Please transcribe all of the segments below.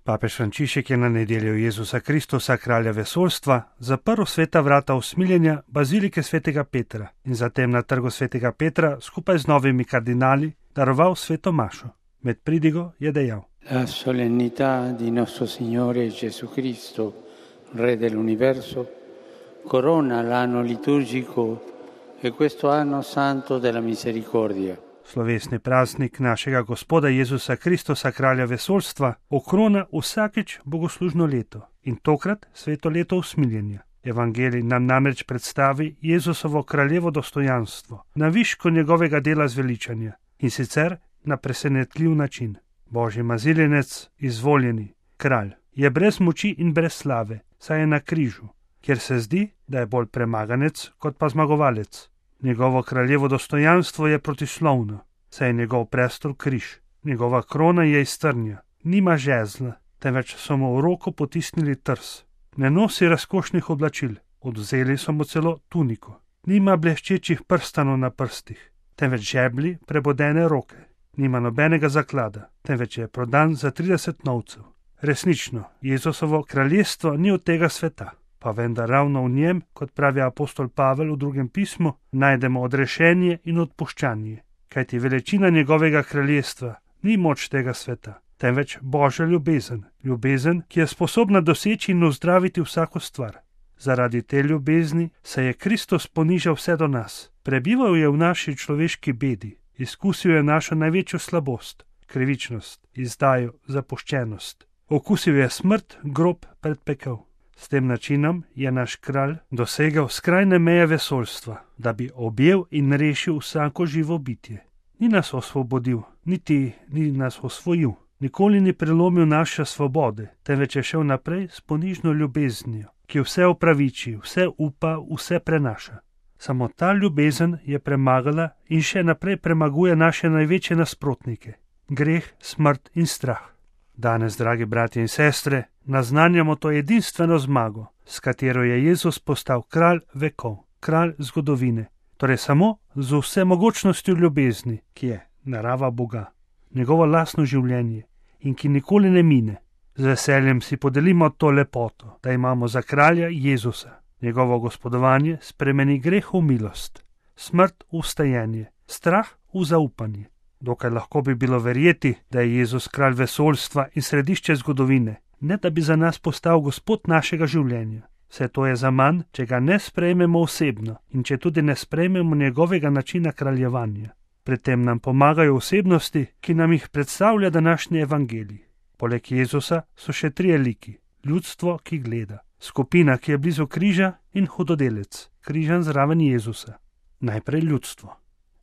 Papež Frančišek je na nedeljo Jezusa Kristusa, kralja vesoljstva, zaprl sveta vrata usmiljenja bazilike svetega Petra in zatem na trgu svetega Petra skupaj z novimi kardinali daroval sveto mašo. Med pridigo je dejal: La solennità di nostro Signore Gesù Cristo, Re dell'universo, corona l'anno liturgico e questo anno santo della misericordia. Slovesni praznik našega Gospoda Jezusa Kristusa, kralja vesoljstva, okrona vsakič bogoslužno leto in tokrat sveto leto usmiljenja. Evangelij nam namreč predstavi Jezusovo kraljevo dostojanstvo na višku njegovega dela zveličanja in sicer na presenetljiv način. Božji maziljenec, izvoljeni kralj, je brez moči in brez slave, saj je na križu, kjer se zdi, da je bolj premaganec kot pa zmagovalec. Njegovo kraljevo dostojanstvo je protislovno, saj je njegov prestol križ, njegova krona je iz trnja, nima žezla, temveč so mu v roko potisnili trs. Ne nosi razkošnih oblačil, odvzeli so mu celo tuniko. Nima bleščečih prstanov na prstih, temveč žebli prebodene roke. Nima nobenega zaklada, temveč je prodan za 30 novcev. Resnično, Jezusovo kraljestvo ni od tega sveta. Pa vendar ravno v njem, kot pravi apostol Pavel v drugem pismu, najdemo odrešenje in odpuščanje, kajti veličina njegovega kraljestva ni moč tega sveta, temveč Božja ljubezen, ljubezen, ki je sposobna doseči in ozdraviti vsako stvar. Zaradi te ljubezni se je Kristus ponižal vse do nas, prebival je v naši človeški bedi, izkusil je našo največjo slabost, krivičnost, izdajo, zapuščenost. Okusil je smrt, grob, predpekel. S tem načinom je naš kralj dosegel skrajne meje vesoljstva, da bi objel in rešil vsako živo bitje. Ni nas osvobodil, niti ni nas osvojil, nikoli ni prelomil naše svobode, temveč je šel naprej s ponižno ljubeznijo, ki vse opraviči, vse upa, vse prenaša. Samo ta ljubezen je premagala in še naprej premaguje naše največje nasprotnike, greh, smrt in strah. Danes, dragi bratje in sestre, naznanjamo to edinstveno zmago, s katero je Jezus postal kralj vekov, kralj zgodovine, torej samo z vsemogočnostjo ljubezni, ki je narava Boga, njegovo lastno življenje in ki nikoli ne mine. Z veseljem si podelimo to lepoto, da imamo za kralja Jezusa. Njegovo gospodovanje spremeni greh v milost, smrt v vstajenje, strah v zaupanje. Dokaj lahko bi bilo verjeti, da je Jezus kralj vesoljstva in središče zgodovine, ne da bi za nas postal gospod našega življenja. Vse to je zaman, če ga ne sprejmemo osebno in če tudi ne sprejmemo njegovega načina kraljevanja. Pri tem nam pomagajo osebnosti, ki nam jih predstavlja današnji evangelij. Poleg Jezusa so še 3 liki: ljudstvo, ki gleda, skupina, ki je blizu križa, in hudodelec, križan zraven Jezusa. Najprej ljudstvo.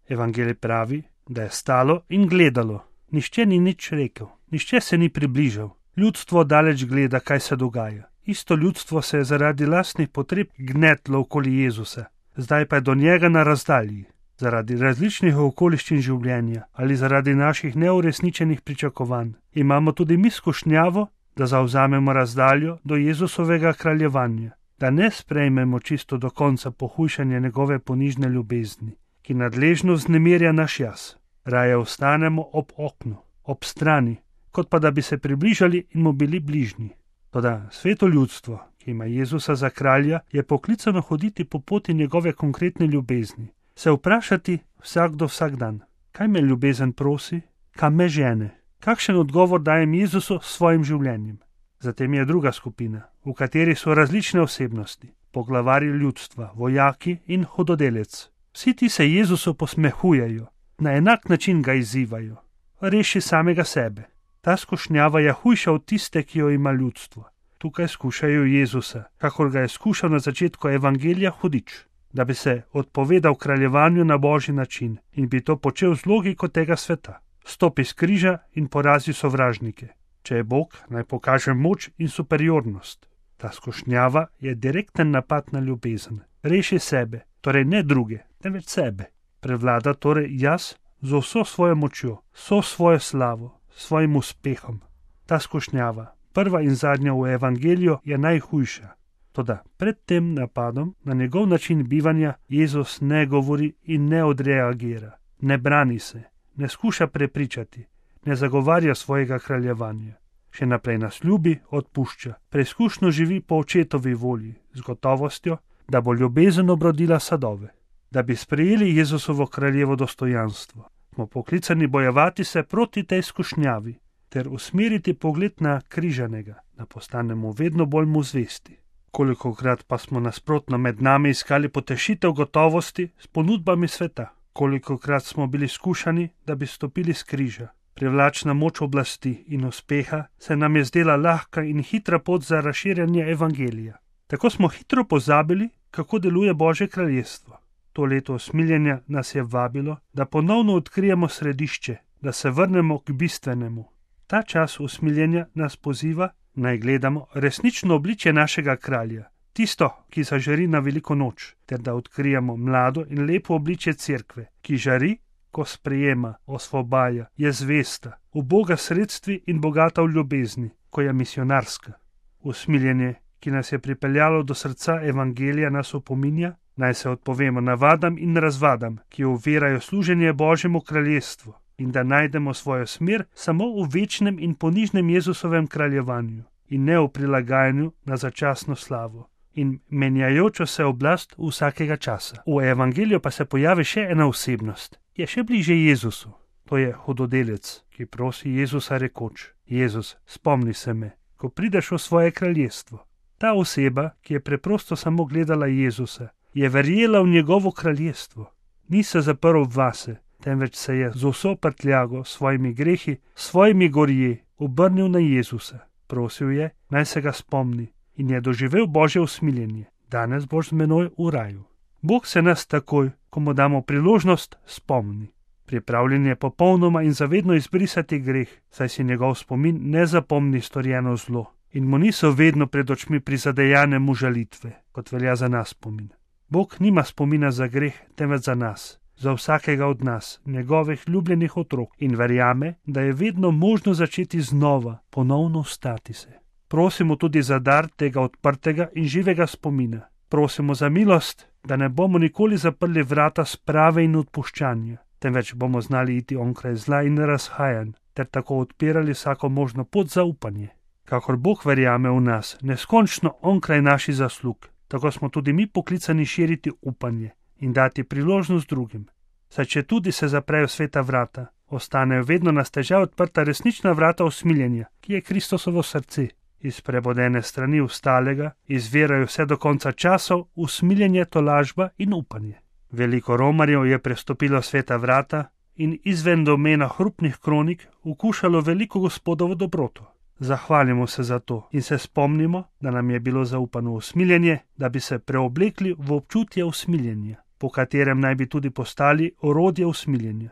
Evangelij pravi, da je stalo in gledalo. Nihče ni nič rekel, nihče se ni približal. Ljudstvo daleč gleda, kaj se dogaja. Isto ljudstvo se je zaradi lastnih potreb gnetlo okoli Jezusa, zdaj pa je do njega na razdalji. Zaradi različnih okoliščin življenja ali zaradi naših neuresničenih pričakovanj imamo tudi mi skušnjavo, da zavzamemo razdaljo do Jezusovega kraljevanja, da ne sprejmemo čisto do konca pohujšanja njegove ponižne ljubezni, ki nadležno vznemirja naš jaz. Raje ostanemo ob oknu, ob strani, kot pa da bi se približali in mu bili bližnji. Toda sveto ljudstvo, ki ima Jezusa za kralja, je poklicano hoditi po poti njegove konkretne ljubezni, se vprašati vsakdo vsak dan, kaj me ljubezen prosi, kam me žene, kakšen odgovor dajem Jezusu s svojim življenjem. Zatem je druga skupina, v kateri so različne osebnosti, poglavarji ljudstva, vojaki in hudodelec. Vsi ti se Jezusu posmehujejo, na enak način ga izzivajo: reši samega sebe. Ta skušnjava je hujša od tiste, ki jo ima ljudstvo. Tukaj skušajo Jezusa, kakor ga je skušal na začetku evangelija hudič, da bi se odpovedal kraljevanju na Božji način in bi to počel z logiko tega sveta. Stopi s križa in porazi sovražnike. Če je Bog, naj pokaže moč in superiornost. Ta skušnjava je direkten napad na ljubezen. Reši sebe, torej ne druge, temveč sebe. Prevlada torej jaz z vso svojo močjo, vso svojo slavo, svojim uspehom. Ta skušnjava, prva in zadnja v evangeliju, je najhujša. Toda pred tem napadom na njegov način bivanja Jezus ne govori in ne odreagira, ne brani se, ne skuša prepričati, ne zagovarja svojega kraljevanja. Še naprej nas ljubi, odpušča, preizkušno živi po očetovi volji, z gotovostjo, da bo ljubezen obrodila sadove. Da bi sprejeli Jezusovo kraljevo dostojanstvo, smo poklicani bojevati se proti tej skušnjavi ter usmeriti pogled na križanega, da postanemo vedno bolj mu zvesti. Kolikokrat pa smo nasprotno med nami iskali potešitev gotovosti s ponudbami sveta, kolikokrat smo bili skušani, da bi stopili s križa. Privlačna moč oblasti in uspeha se nam je zdela lahka in hitra pot za razširjanje evangelija. Tako smo hitro pozabili, kako deluje Božje kraljestvo. To leto usmiljenja nas je vabilo, da ponovno odkrijemo središče, da se vrnemo k bistvenemu. Ta čas usmiljenja nas poziva, naj gledamo resnično obličje našega kralja, tisto, ki zažari na veliko noč, ter da odkrijemo mlado in lepo obličje cerkve, ki žari, ko sprejema, osvobaja, je zvesta, uboga sredstvi in bogata v ljubezni, ko je misionarska. Usmiljenje, ki nas je pripeljalo do srca evangelija, nas opominja, naj se odpovemo navadam in razvadam, ki ovirajo služenje Božjemu kraljestvu, in da najdemo svojo smer samo v večnem in ponižnem Jezusovem kraljevanju in ne v prilagajanju na začasno slavo in menjajočo se oblast vsakega časa. V evangeliju pa se pojavi še ena osebnost, je še bliže Jezusu. To je hudodelec, ki prosi Jezusa rekoč: Jezus, spomni se me, ko prideš v svoje kraljestvo. Ta oseba, ki je preprosto samo gledala Jezusa, je verjela v njegovo kraljestvo. Ni se zaprl vase, temveč se je z vso prtljago, svojimi grehi, svojimi gorje obrnil na Jezusa. Prosil je, naj se ga spomni, in je doživel Božje usmiljenje. Danes boš z menoj v raju. Bog se nas takoj, ko mu damo priložnost, spomni. Pripravljen je popolnoma in zavedno izbrisati greh, saj si njegov spomin ne zapomni storjeno zlo in mu niso vedno pred očmi prizadejane mu žalitve, kot velja za nas spomin. Bog nima spomina za greh, temveč za nas, za vsakega od nas, njegovih ljubljenih otrok, in verjame, da je vedno možno začeti znova, ponovno vstati se. Prosimo tudi za dar tega odprtega in živega spomina. Prosimo za milost, da ne bomo nikoli zaprli vrata sprave in odpuščanja, temveč bomo znali iti onkraj zla in razhajanj, ter tako odpirali vsako možno pot za upanje. Kakor Bog verjame v nas, neskončno onkraj naših zaslug, tako smo tudi mi poklicani širiti upanje in dati priložnost drugim. Saj če tudi se zaprejo sveta vrata, ostanejo vedno na stežaj odprta resnična vrata usmiljenja, ki je Kristusovo srce. Iz prebodene strani ostalega izvirajo vse do konca časov usmiljenje, tolažba in upanje. Veliko romarjev je prestopilo sveta vrata in izven domena hrupnih kronik ukušalo veliko Gospodovo dobroto. Zahvalimo se za to in se spomnimo, da nam je bilo zaupano usmiljenje, da bi se preoblekli v občutje usmiljenja, po katerem naj bi tudi postali orodje usmiljenja.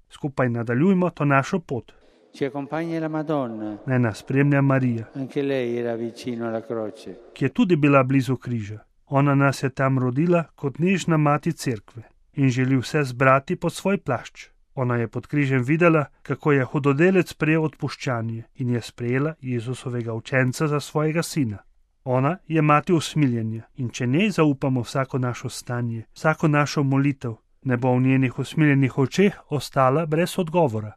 Skupaj nadaljujmo to našo pot. Ci accompagna la Madonna. Naj nas spremlja Marija, Anche lei era vicino alla croce. ki je tudi bila blizu križa. Ona nas je tam rodila kot nežna mati cerkve in želi vse zbrati pod svoj plašč. Ona je pod križem videla, kako je hudodelec prejel odpuščanje in je sprejela Jezusovega učenca za svojega sina. Ona je mati usmiljenja in če njej zaupamo vsako našo stanje, vsako našo molitev, ne bo v njenih usmiljenih očeh ostala brez odgovora.